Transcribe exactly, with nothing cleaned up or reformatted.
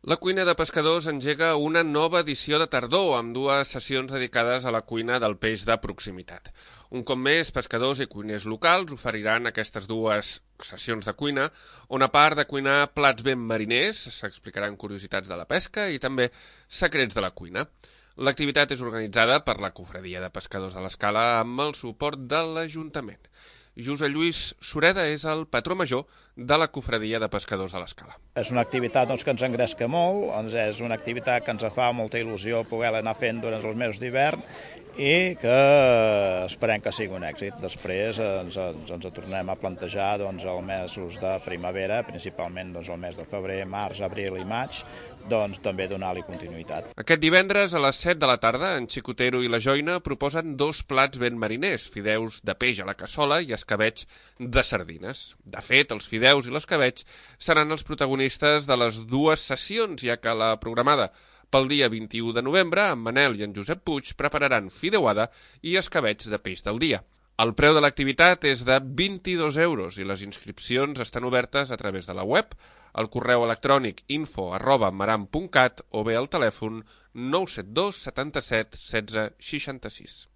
La cuina de pescadors engega una nova edició de tardor amb dues sessions dedicades a la cuina del peix de proximitat. Un cop més, pescadors i cuiners locals oferiran aquestes dues sessions de cuina, on a part de cuinar plats ben mariners, s'explicaran curiositats de la pesca i també secrets de la cuina. L'activitat és organitzada per la Cofradia de Pescadors de l'Escala amb el suport de l'Ajuntament. Josep Lluís Sureda és el patró major de la Cofradia de Pescadors de l'Escala. És una activitat doncs, que ens engresca molt, doncs és una activitat que ens fa molta il·lusió poder anar fent durant els mesos d'hivern i que esperem que sigui un èxit. Després ens, ens, ens tornem a plantejar doncs, els mesos de primavera, principalment doncs, el mes de febrer, març, abril i maig, doncs també donar-li continuïtat. Aquest divendres a les set de la tarda, en Xicotero i la Joina proposen dos plats ben mariners, fideus de peix a la cassola i escabeig de sardines. De fet, els fideus i l'escabeig seran els protagonistes de les dues sessions, ja que la programada pel dia vint-i-u de novembre, en Manel i en Josep Puig prepararan fideuada i escabeig de peix del dia. El preu de l'activitat és de vint-i-dos euros i les inscripcions estan obertes a través de la web, el correu electrònic info arroba maram punt cat o bé al telèfon nou set dos setanta-set setze seixanta-sis.